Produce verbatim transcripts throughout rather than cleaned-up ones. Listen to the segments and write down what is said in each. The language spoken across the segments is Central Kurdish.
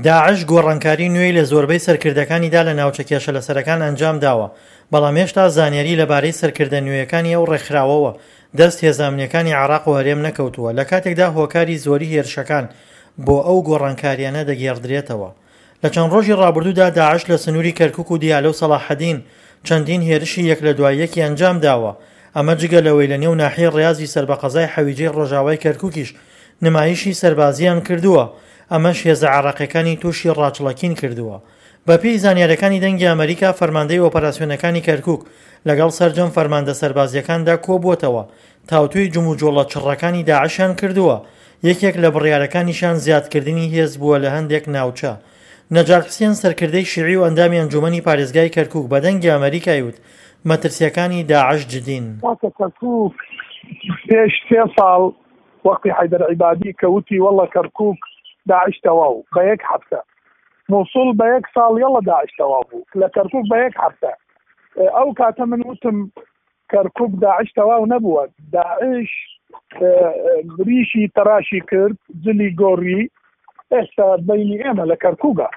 داعش گۆڕانکاری نوێی لە زۆربەی سەرکردەکانیدا لە ناوچە کێشە لەسەرەکان ئەنجام داوە، بەڵام هێشتا زانیاری لەبارەی سەرکردە نوێیەکانی ئەو ڕێکخراوەوە دەست هێزە ئەمنییەکانی عێراق و هەرێم نەکەوتووە، لە کاتێکدا هۆکاری زۆری هێرشەکان بۆ ئەو گۆڕانکاریانە دەگێڕدرێتەوە. لە چەند ڕۆژی ڕابردوودا داعش لە سنووری کەرکوک و دیالە و سەڵاحەدین چەندین هێرشی یەک لە دوای یەکی ئەنجام داوە، ئەمە جگە لەوەی لە نێو ناحیەی ڕیازی سەر بە قەزای حەویجەی ڕۆژاوای کەرکوکیش نمایشی سەربازییان کردووە، ئەمەش هێزە عێراقیەکانی تووشی ڕاچڵەکین کردووە. بەپێی زانیاریەکانی دەنگی ئەمەریکا، فەرماندەی ئۆپەراسیۆنەکانی کەرکوک لەگەڵ سەرجەم فەرماندە سەربازیەکاندا کۆبووەتەوە، تاوتوێی جموجۆڵە چڕەکانی داعشیان کردووە، یەکێک لە بڕیارەکانیشیان زیادکردنی هێز بووە لە هەندێک ناوچە. نەجات حسێن سەرکردەی شیعی و ئەندامی ئەنجومەنی پارێزگای کەرکوک بە دەنگی ئەمەریکای وت مەترسیەکانی داعش جدین. کاکە کەرکوک پێش سێ ساڵ وەختی حەیدەر عیبادی کە وتی وەڵا کەرکوک داعش تەواو بە یەک هەفتە، موسڵ بە یەک ساڵ یەڵا داعش تەواو بوو، لە کەرکوک بە یەک هەفتە. ئەو کاتە من وتم کەرکوک داعش تەواو نەبووە، داعش ریشی تەراشی کرد، جلی گۆڕی، ئێستا بینی ئێمە لە کەرکوکە،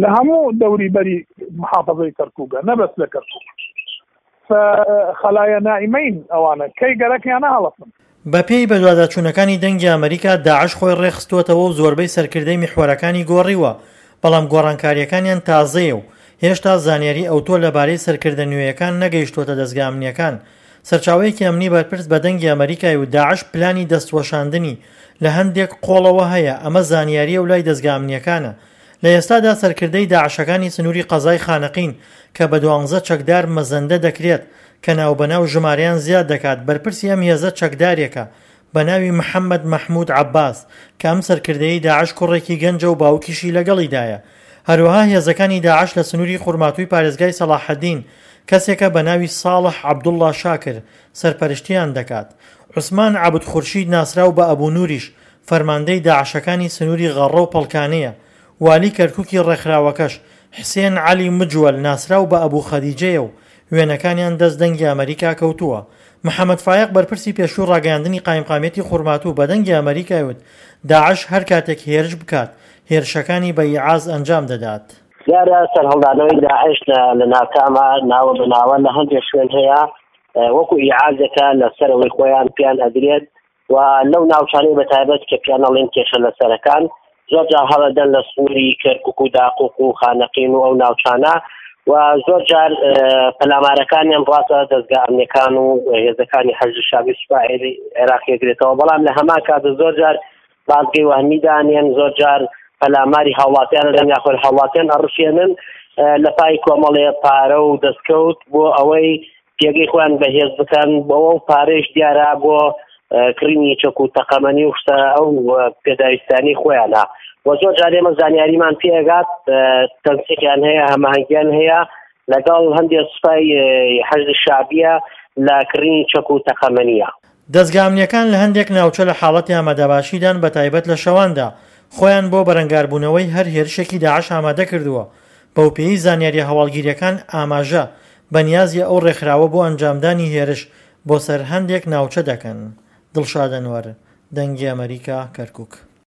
لە هەموو دەوری بەری محافظەی کەرکوکە، نەبەس لە کەرکوک. خەلایە نائیمەین ئەوانە کەی گەرەکیانە هەڵەسن. بەپێی بەدواداچوونەکانی دەنگی ئەمەریکا، داعش خۆی ڕێکخستووەتەوە و زۆربەی سەرکردەی میحوەرەکانی گۆڕیوە، بەڵام گۆڕانکاریەکانیان تازەیە و هێشتا زانیاری ئەوتۆ لەبارەی سەرکردە نوێیەکان نەگەیشتووەتە دەزگا ئەمنیەکان. سەرچاوەیەکی ئەمنی بەرپرس بە دەنگی ئەمەریکای و داعش پلانی دەستوەشاندنی لە هەندێک قۆڵەوە هەیە، ئەمە زانیاریە و لای دەزگا ئەمنیەکانە. لە ئێستادا سەرکردەی داعشەکانی سنووری قەزای خانەقین کە بە دوانزە چەکدار مەزەندە دەکرێت کە ناوبەناو ژمارەیان زیاد دەکات، بەرپرسی ئەم هێزە چەکدارێکە بە ناوی محەممەد مەحمود عەباس کە ئەم سەرکردەی داعش کوڕێکی گەنجە و باوکیشی لەگەڵیدایە. هەروەها هێزەکانی داعش لە سنووری خورماتووی پارێزگای سەڵاحەدین کەسێکە بە ناوی ساڵح عەبدوڵڵا شاکر سەرپەرشتیان دەکات. عوسمان عەبد خورشید ناسراو بە ئەبوو نوریش فەرماندەی داعشەکانی سنووری غەڕە و پەڵکانەیە. والی کەرکوکی ڕێکخراوەکەش حسێن عەلی مجوەل ناسراو بە ئەبوو خەدیجەیە و وێنەکانیان دەست دەنگی ئەمەریکا کەوتووە. محەممەد فایەق بەرپرسی پێشوو ڕاگەیاندنی قایمقامیەتی خورماتوو بە دەنگی ئەمەریکای وت داعش هەر کاتێک هێرش بکات هێرشەکانی بە ئیعاز ئەنجام دەدات. دیارە سەرهەڵدانەوەی داعش لە ناکامە ناوە بە ناوە لە هەندێک شوێن هەیە وەکو ئیعازەکە لەسەرەوەی خۆیان پیان ئەدرێت و لەو ناوچانەی بەتایبەت کە پیان ئەڵێن کێشە لەسەرەکان زۆر جار هەڵەدەن لە سنووری کەرکوک و داقوق و خانەقین و ئەو ناوچانە و زۆر جار پەلامارەکانیان ڕاستە دەزگا ئەمنیەکان و هێزەکانی حەشد شەعبی سوپا عێراق یەگرێتەوە، بەڵام لە هەمان کات زۆر جار بازگەی وەهمی دانێن، زۆر جار پەلاماری هاوڵاتیان دەن یاخود هاوڵاتیان ئەڕشێنن لە پای کۆمەڵێ پارە و دەستکەوت بۆ ئەوەی پێگەی خۆیان بەهێز بکەن، بۆ ئەو پارەیش دیارە بۆ کڕینی چەک و تەقەمەنی و شتە ئەو پێداویستانی خۆیانە. و زۆر جار ئێمە زانیاریمان پێگات تەنسیقیان هەیە، هەماهەنگیان هەیە لەگەڵ هەندێک سوپای حەشد شەعبیە لە کڕینی چەک و تەقەمەنیە. دەزگا ئەمنیەکان لە هەندێک ناوچە لە حاڵەتی ئامادەباشیدان، بە تایبەت لە شەواندا خۆیان بۆ بەرەنگاربوونەوەی هەر هێرشێکی داعش ئامادە کردووە. بەوپێی زانیاریە هەواڵگیریەکان ئاماژە بە نیازی ئەو ڕێکخراوە بۆ ئەنجامدانی هێرش بۆ سەر هەندێک ناوچە دەکەن. دڵشاد ئەنوەر، دەنگی ئەمەریکا، کەرکوک.